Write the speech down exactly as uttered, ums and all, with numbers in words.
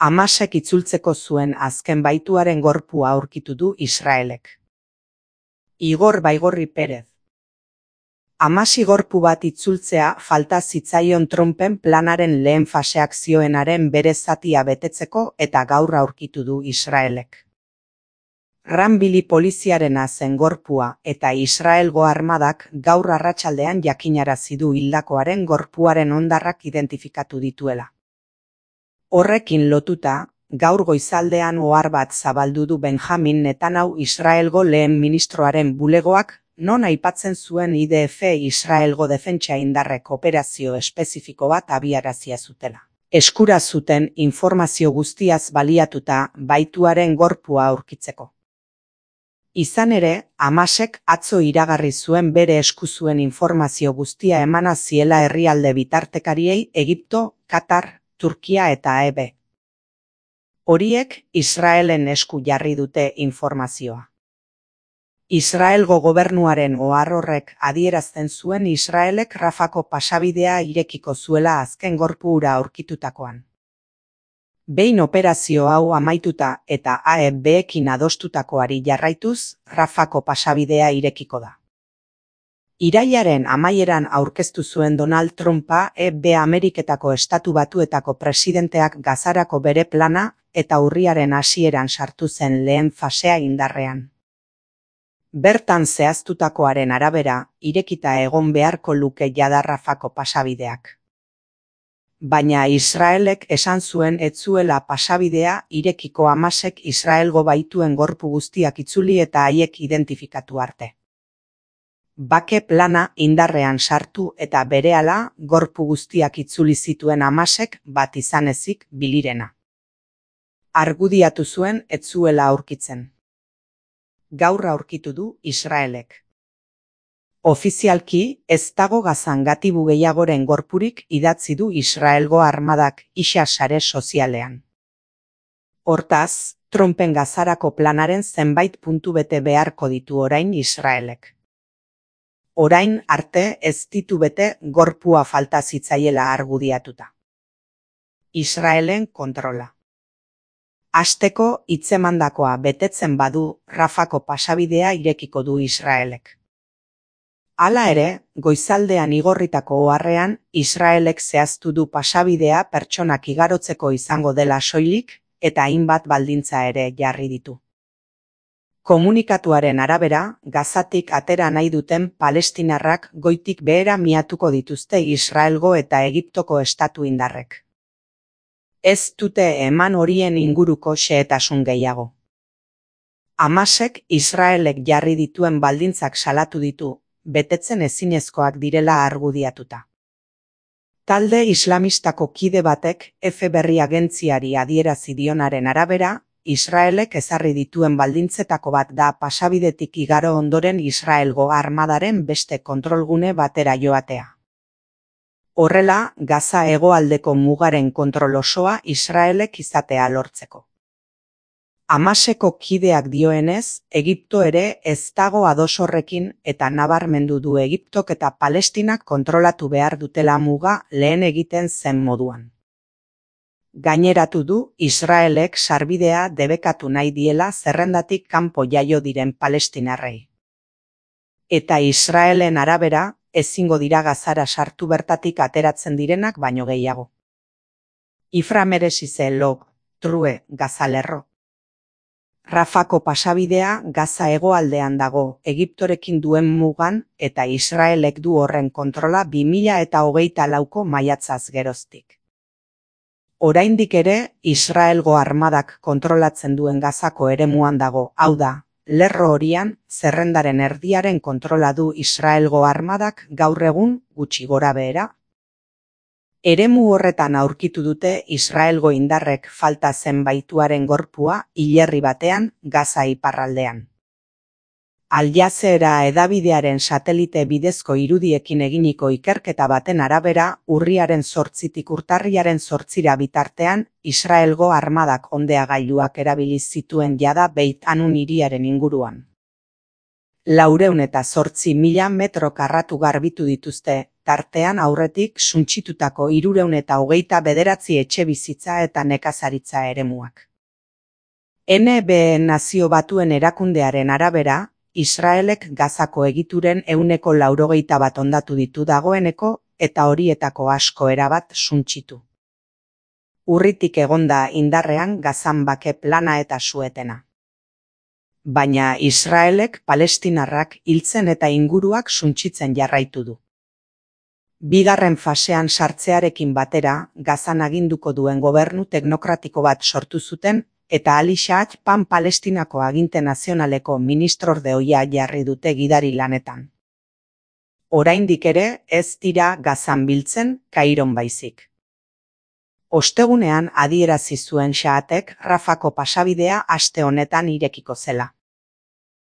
Hamasek itzultzeko zuen azken baituaren gorpua aurkitu du Israelek. Igor Baigorri Perez. Hamasi gorpu bat itzultzea falta zitzaion Trumpen planaren lehen faseak zioenaren bere zatia betetzeko eta gaur aurkitu du Israelek. Ranbili poliziarena zen gorpua eta Israelgo armadak gaur arratsaldean jakinarazi du hildakoaren gorpuaren hondarrak identifikatu dituela. Horrekin lotuta, gaur goizaldean ohar bat zabaldu du Benjamin Netanyahu Israelgo lehen ministroaren bulegoak, non aipatzen zuen I D F Israelgo defentsa indarrek operazio espezifiko bat abiarazia zutela. Eskura zuten informazio guztiaz baliatuta baituaren gorpua aurkitzeko. Izan ere, Hamasek atzo iragarri zuen bere esku zuen informazio guztia emana ziela herrialde bitartekariei Egipto, Katar, Turkia eta E B. Horiek Israelen esku jarri dute informazioa. Israelgo gobernuaren ohar horrek adierazten zuen Israelek Rafako pasabidea irekiko zuela azken gorpu hura aurkitutakoan. Behin operazio hau amaituta eta A E Bekin adostutakoari jarraituz, Rafako pasabidea irekiko da. Irailaren amaieran aurkeztu zuen Donald Trumpa E B Ameriketako Estatu Batuetako presidenteak Gazarako bere plana eta urriaren hasieran sartu zen lehen fasea indarrean. Bertan zehaztutakoaren arabera, irekita egon beharko luke jada Rafako pasabideak. Baina Israelek esan zuen ez zuela pasabidea irekiko Hamasek Israelgo baituen gorpu guztiak itzuli eta haiek identifikatu arte. Bake plana indarrean sartu eta berehala gorpu guztiak itzuli zituen Hamasek bat izan ezik bilirena. Argudiatu zuen ez zuela aurkitzen. Gaur aurkitu du Israelek. Ofizialki ez dago Gazan gatibu gehiagoren gorpurik idatzi du Israelgo armadak isa sare sozialean. Hortaz, Trumpen Gazarako planaren zenbait puntu bete beharko ditu orain Israelek. Orain arte ez ditu bete gorpua falta zitzaiela argudiatuta. Israelen kontrola. Hasteko hitzemandakoa betetzen badu Rafako pasabidea irekiko du Israelek. Hala ere, goizaldean igorritako oharrean, Israelek zehaztu du pasabidea pertsonak igarotzeko izango dela soilik eta hainbat baldintza ere jarri ditu. Komunikatuaren arabera, Gazatik atera nahi duten palestinarrak goitik behera miatuko dituzte Israelgo eta Egiptoko estatu indarrek. Ez dute eman horien inguruko xehetasun gehiago. Hamasek Israelek jarri dituen baldintzak salatu ditu, betetzen ezinezkoak direla argudiatuta. Talde islamistako kide batek F berri agentziari adierazi dionaren arabera, Israelek ezarri dituen baldintzetako bat da pasabidetik igaro ondoren Israelgo armadaren beste kontrolgune batera joatea. Horrela, Gaza hegoaldeko mugaren kontrol osoa Israelek izatea lortzeko. Hamaseko kideak dioenez, Egipto ere ez dago ados horrekin eta nabarmendu du Egiptok eta Palestinak kontrolatu behar dutela muga lehen egiten zen moduan. Gaineratu du Israelek sarbidea debekatu nahi diela zerrendatik kanpo jaio diren palestinarrei. Eta Israelen arabera, ezingo dira Gazara sartu bertatik ateratzen direnak baino gehiago. Ifra meresize log, true, Gazalerro. Rafako pasabidea Gaza hegoaldean dago, Egiptorekin duen mugan eta Israelek du horren kontrola bi mila eta hogeita lauko maiatzaz geroztik. Oraindik ere, Israelgo armadak kontrolatzen duen Gazako eremuan dago, hau da, lerro horian, zerrendaren erdiaren kontrola du Israelgo armadak gaur egun gutxi gora behera. Eremu horretan aurkitu dute Israelgo indarrek falta zen baituaren gorpua hilerri batean Gaza iparraldean. Al Jazeera edabidearen satelite bidezko irudiekin eginiko ikerketa baten arabera, urriaren zortzitik urtarriaren zortzira bitartean, Israelgo armadak ondeagailuak erabili zituen jada Beit Hanun hiriaren inguruan. Laurehun eta zortzi mila metro karratu garbitu dituzte, tartean aurretik suntsitutako hirurehun eta hogeita bederatzi etxebizitza eta nekazaritza eremuak. N B Nazio Batuen erakundearen arabera, Israelek Gazako egituren ehuneko laurogeita bat hondatu ditu dagoeneko eta horietako asko erabat suntsitu. Urritik egonda indarrean Gazan bake plana eta suetena. Baina Israelek palestinarrak hiltzen eta inguruak suntsitzen jarraitu du. Bigarren fasean sartzearekin batera, Gazan aginduko duen gobernu teknokratiko bat sortu zuten eta Ali Shahak Pan Palestinako aginte nazionaleko ministrorde ohia jarri dute gidari lanetan. Oraindik ere ez dira Gazan biltzen, Kairon baizik. Ostegunean adierazi zuen Shahatek Rafako pasabidea aste honetan irekiko zela.